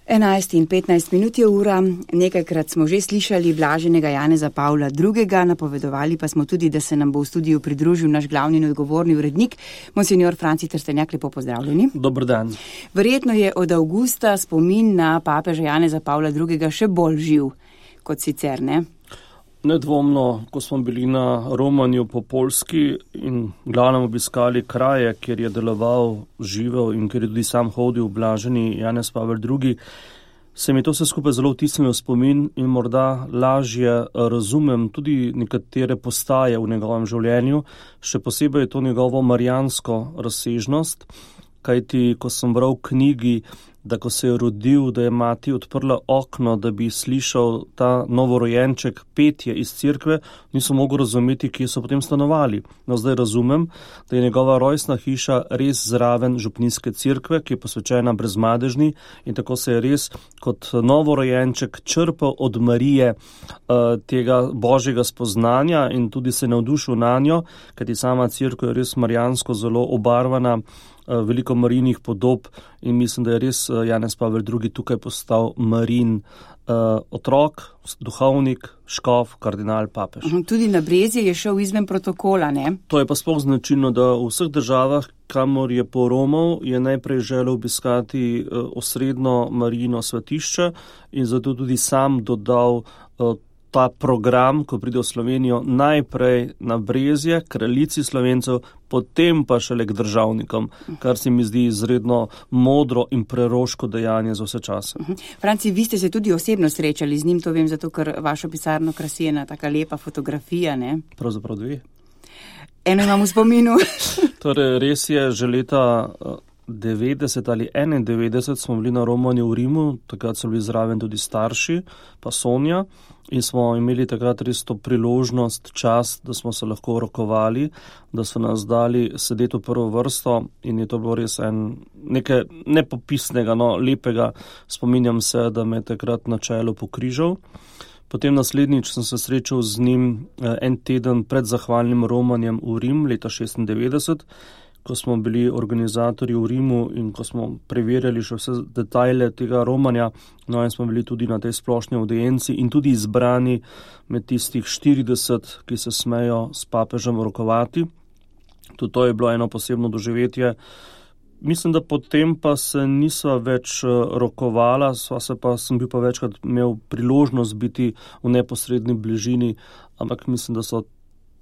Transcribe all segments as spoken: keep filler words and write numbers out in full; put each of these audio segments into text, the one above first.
enajst in petnajst minut je ura, nekajkrat smo že slišali blaženega Janeza Pavla drugega, napovedovali pa smo tudi, da se nam bo v studiu pridružil naš glavni in odgovorni urednik, monsignor Franci Trstenjak, lepo pozdravljeni. Dober dan. Verjetno je od avgusta spomin na papeža Janeza Pavla drugega še bolj živ kot sicer, ne? Nedvomno, ko smo bili na romanju po Poljski in glavnem obiskali kraje, kjer je deloval, živel in kjer je tudi sam hodil blaženi Janez Pavel drugi, se mi to vse skupaj zelo vtisnilo v spomin in morda lažje razumem tudi nekatere postaje v njegovem življenju, še posebej je to njegovo marijansko razsežnost, kajti ko sem bral v knjigi, da ko se je rodil, da je mati odprla okno, da bi slišal ta novorojenček petje iz cerkve, nisem mogel razumeti, kje so potem stanovali. No, zdaj razumem, da je njegova rojstna hiša res zraven župnijske cerkve, ki je posvečena Brezmadežni in tako se je res kot novorojenček črpal od Marije uh, tega božjega spoznanja in tudi se navdušil na njo, kajti sama cerkev je res marijansko zelo obarvana, veliko Marijinih podob in mislim, da je res Janez Pavel drugi tukaj postal Marijin uh, otrok, duhovnik, škof, kardinal, papež. Tudi na Brezje je šel izven protokola, ne? To je pa sploh značilno, da v vseh državah, kamor je poromal, je najprej želel obiskati uh, osrednjo Marijino svetišče in zato tudi sam dodal uh, ta program, ko pride v Slovenijo, najprej na Brezje, kraljici Slovencev, potem pa šele k državnikom, kar se mi zdi izredno modro in preroško dejanje za vse čase. Franci, vi ste se tudi osebno srečali z njim, to vem zato, ker vašo pisarno krasi ena taka lepa fotografija, ne? Pravzaprav dve. Eno imam v spominu. Torej, res je, že leta devetdeset ali enaindevetdeset smo bili na romanju v Rimu, takrat so bili zraven tudi starši, pa Sonja, in smo imeli takrat res to priložnost, čast, da smo se lahko rokovali, da so nas dali sedeti v prvo vrsto in je to bilo res en nekaj nepopisnega, no, lepega. Spominjam se, da me takrat na čelu pokrižal. Potem naslednjič sem se srečal z njim en teden pred zahvalnim romanjem v Rim, leta šestindevetdeset, ko smo bili organizatorji v Rimu in ko smo preverjali še vse detajle tega romanja, no in smo bili tudi na tej splošni audienci in tudi izbrani med tistih štirideset, ki se smejo s papežem rokovati. Tudi to je bilo eno posebno doživetje. Mislim, da potem pa se nisva več rokovala, sva se pa, sem bil pa večkrat imel priložnost biti v neposredni bližini, ampak mislim, da so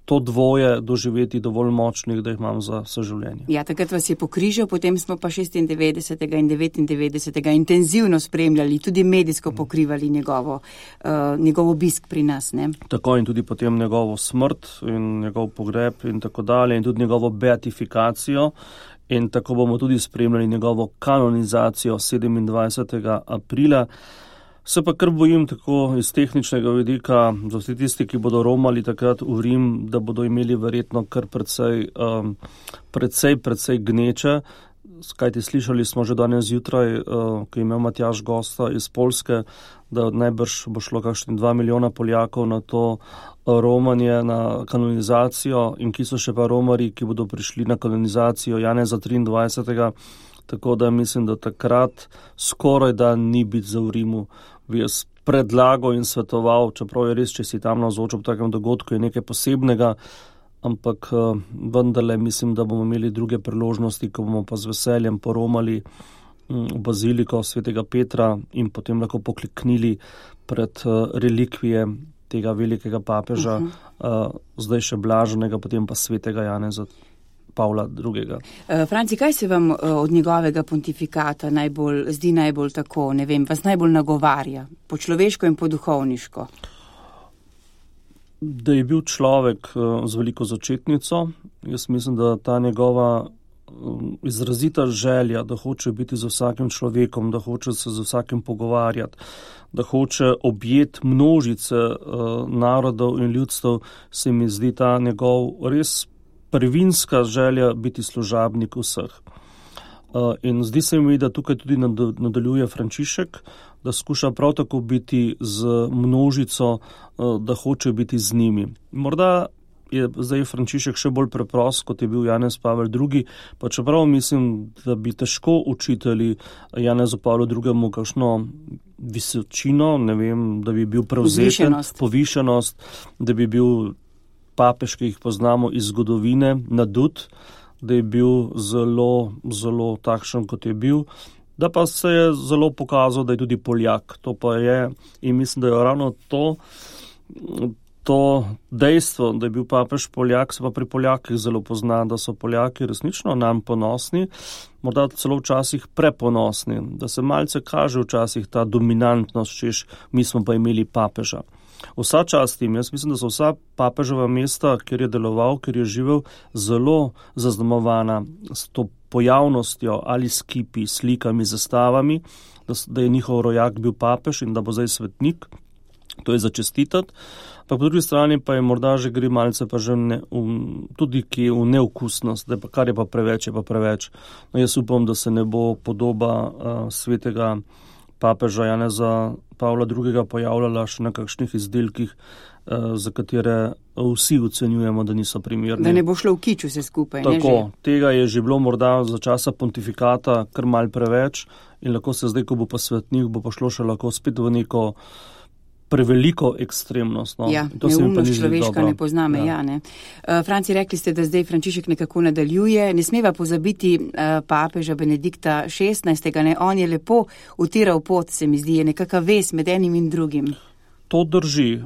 to dvoje doživeti dovolj močnih, da jih imam za vse življenje. Ja, takrat vas je pokrižal, potem smo pa šestindevetdesetega in devetindevetdesetega intenzivno spremljali, tudi medijsko pokrivali njegovo, uh, njegov obisk pri nas, ne? Tako in tudi potem njegovo smrt in njegov pogreb in tako dalje in tudi njegovo beatifikacijo in tako bomo tudi spremljali njegovo kanonizacijo sedemindvajsetega aprila. Se pa kar bojim tako iz tehničnega vidika, za vsi tisti, ki bodo romali takrat v Rim, da bodo imeli verjetno kar precej, um, precej, precej gneče. Kajti slišali smo že danes zjutraj, uh, ko je imel Matjaž gosta iz Poljske, da najbrž bo šlo kakšni dva milijona Poljakov na to romanje, na kanonizacijo in ki so še pa romari, ki bodo prišli na kanonizacijo Janeza triindvajsetega. Tako da mislim, da takrat skoraj da ni biti za v Rimu. Bi jaz predlagal in svetoval, čeprav je res, če si tam navzoč ob takem dogodku, je nekaj posebnega, ampak vendarle mislim, da bomo imeli druge priložnosti, ko bomo pa z veseljem poromali v baziliko svetega Petra in potem lahko pokliknili pred relikvije tega velikega papeža, uh-huh. zdaj še blaženega, potem pa svetega Janeza Pavla drugega. Franci, kaj se vam od njegovega pontifikata najbolj, zdi najbolj tako, ne vem, vas najbolj nagovarja, po človeško in po duhovniško? Da je bil človek z veliko začetnico. Jaz mislim, da ta njegova izrazita želja, da hoče biti z vsakim človekom, da hoče se z vsakim pogovarjati, da hoče objeti množice narodov in ljudstev, se mi zdi ta njegov res prvinska želja biti služabnik vseh. In zdi se mi, da tukaj tudi nadaljuje Frančišek, da skuša prav tako biti z množico, da hoče biti z njimi. Morda je zdaj Frančišek še bolj preprost, kot je bil Janez Pavel drugi, pa čeprav mislim, da bi težko učitelji Janezu Pavlu drugemu kakšno visočino, ne vem, da bi bil prevzeten, Povišenost. povišenost, da bi bil papež, ki jih poznamo iz zgodovine, nadut, da je bil zelo, zelo takšen, kot je bil, da pa se je zelo pokazal, da je tudi Poljak. To pa je, in mislim, da je ravno to, To dejstvo, da je bil papež Poljak, se pa pri Poljakih zelo pozna, da so Poljaki resnično nam ponosni, morda celo včasih preponosni, da se malce kaže včasih ta dominantnost, češ mi smo pa imeli papeža. Vsa čast jim, jaz mislim, da so vsa papeževa mesta, kjer je deloval, kjer je živel, zelo zaznamovana s to pojavnostjo ali s kipi, slikami, zastavami, da, da je njihov rojak bil papež in da bo zdaj svetnik. To je začestitati, pa po drugi strani pa je morda že gre malce pa že ne, um, tudi ki v neokusnost, da pa, kar je pa preveč, je pa preveč. No, jaz upam, da se ne bo podoba uh, svetega papeža Janeza Pavla drugega pojavljala še na kakšnih izdelkih, uh, za katere vsi ocenjujemo, da niso primerni. Da ne bo šlo v kič vse skupaj. Tako, ne, tega je že bilo morda za časa pontifikata kar mal preveč in lahko se zdaj, ko bo pa svetnik, bo pa šlo še lahko spet v neko preveliko ekstremnost. No. Ja, neumnost človeška ne pozname. Ja. Ja, ne. Uh, Franci, rekli ste, da zdaj Frančišek nekako nadaljuje. Ne smeva pozabiti uh, papeža Benedikta šestnajstega. Ne. On je lepo utiral pot, se mi zdi, je nekakva vez med enim in drugim. To drži.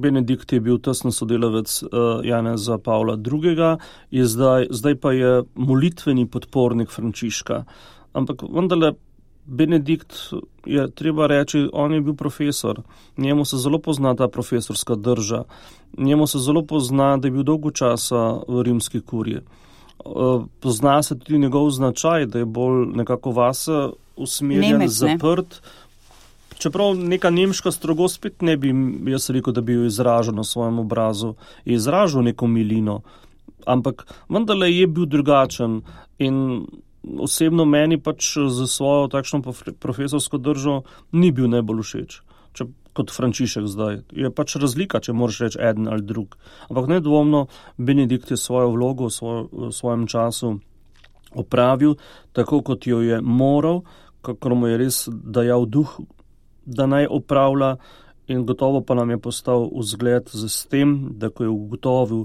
Benedikt je bil tesno sodelavec uh, Janeza Pavla drugega, je zdaj, zdaj pa je molitveni podpornik Frančiška. Ampak vendarle Benedikt je treba reči, on je bil profesor, njemu se zelo pozna ta profesorska drža, njemu se zelo pozna, da je bil dolgo časa v rimski kuriji. Pozna se tudi njegov značaj, da je bolj nekako vase usmerjen, Nemec, zaprt, ne? Čeprav neka nemška strogost spet ne bi, jaz rekel, da bi jo izražal na svojem obrazu, je izražal neko milino, ampak vendarle je bil drugačen in osebno meni pač za svojo takšno profesorsko držo ni bil najbolj všeč, če, kot Frančišek zdaj. Je pač razlika, če moraš reči eden ali drug. Ampak nedvomno Benedikt je svojo vlogo v, svoj, v svojem času opravil, tako kot jo je moral, kakor mu je res dajal duh, da naj opravlja in gotovo pa nam je postal vzgled z tem, da ko je ugotovil,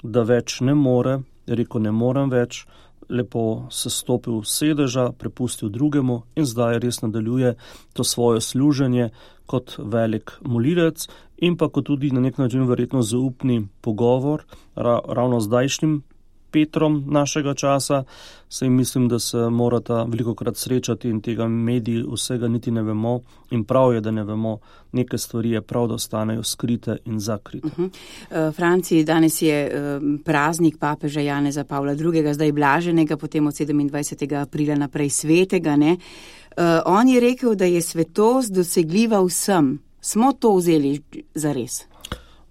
da več ne more, je rekel, ne morem več, lepo se stopil sedeža, prepustil drugemu in zdaj res nadaljuje to svoje služenje kot velik molilec in pa kot tudi na nek način verjetno zaupni pogovor ra, ravno zdajšnjim Petrom našega časa, saj mislim, da se morata velikokrat srečati in tega mediji vsega niti ne vemo in prav je, da ne vemo, neke stvari je prav, da ostanejo skrite in zakrite. Uh-huh. Uh, Franciji, danes je uh, praznik papeža Janeza Pavla drugega, zdaj blaženega, potem od sedemindvajsetega aprila naprej svetega. Ne? Uh, on je rekel, da je svetost dosegljiva vsem. Smo to vzeli za res?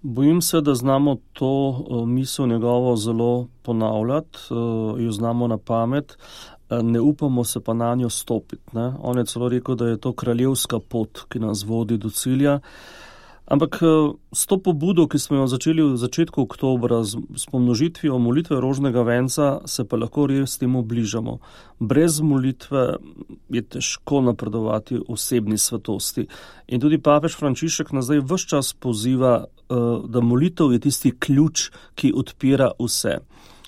Bojim se, da znamo to uh, misel njegovo zelo ponavljati, uh, jo znamo na pamet, uh, ne upamo se pa na njo stopiti. Ne? On je celo rekel, da je to kraljevska pot, ki nas vodi do cilja. Ampak uh, s to pobudo, ki smo jo začeli v začetku oktobra z, s pomnožitvijo molitve rožnega venca, se pa lahko res temu bližamo. Brez molitve je težko napredovati osebni svetosti. In tudi papež Frančišek nas zdaj ves čas poziva, da molitev je tisti ključ, ki odpira vse.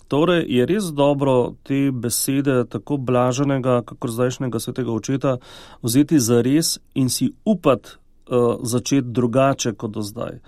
Torej je res dobro te besede tako blaženega, kakor zdajšnjega svetega očeta vzeti za res in si upati uh, začeti drugače kot do zdaj.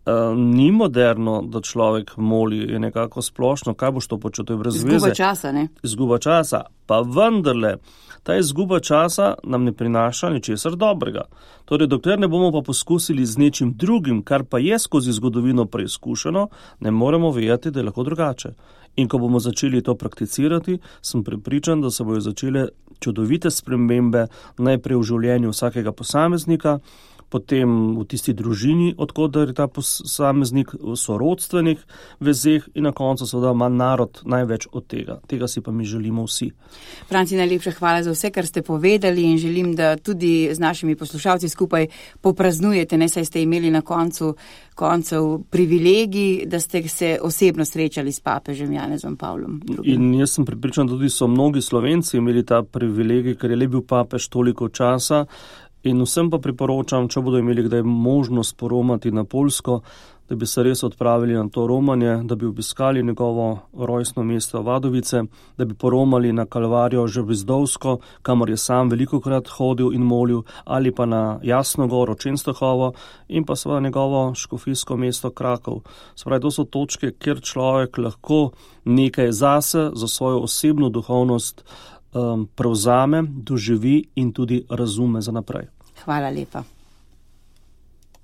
Uh, ni moderno, da človek moli, je nekako splošno, kaj boš to počel, to je brez veze. Izguba časa, ne? Izguba časa, pa vendarle, ta izguba časa nam ne prinaša ničesar dobrega. Torej, dokler ne bomo pa poskusili z nečim drugim, kar pa je skozi zgodovino preizkušeno, ne moremo vedeti, da je lahko drugače. In ko bomo začeli to prakticirati, sem prepričan, da se bojo začele čudovite spremembe najprej v življenju vsakega posameznika, potem v tisti družini, odkot je ta posameznik, v sorodstvenih vezeh in na koncu seveda ima narod največ od tega. Tega si pa mi želimo vsi. Franci, najlepša hvala za vse, kar ste povedali in želim, da tudi z našimi poslušalci skupaj popraznujete, ne saj ste imeli na koncu koncev privilegij, da ste se osebno srečali s papežem Janezom Pavlom drugim. In jaz sem pripričan, da tudi so mnogi Slovenci imeli ta privilegij, ker je le bil papež toliko časa. In vsem pa priporočam, če bodo imeli kdaj možnost poromati na Poljsko, da bi se res odpravili na to romanje, da bi obiskali njegovo rojstno mesto Vadovice, da bi poromali na Kalvarijo Žabizdovsko, kamor je sam velikokrat hodil in molil, ali pa na Jasno goro Čenstohovo in pa seveda njegovo škofijsko mesto Krakov. Spravi, to so točke, kjer človek lahko nekaj zase, za svojo osebno duhovnost um, prevzame, doživi in tudi razume za naprej. Hvala lepa.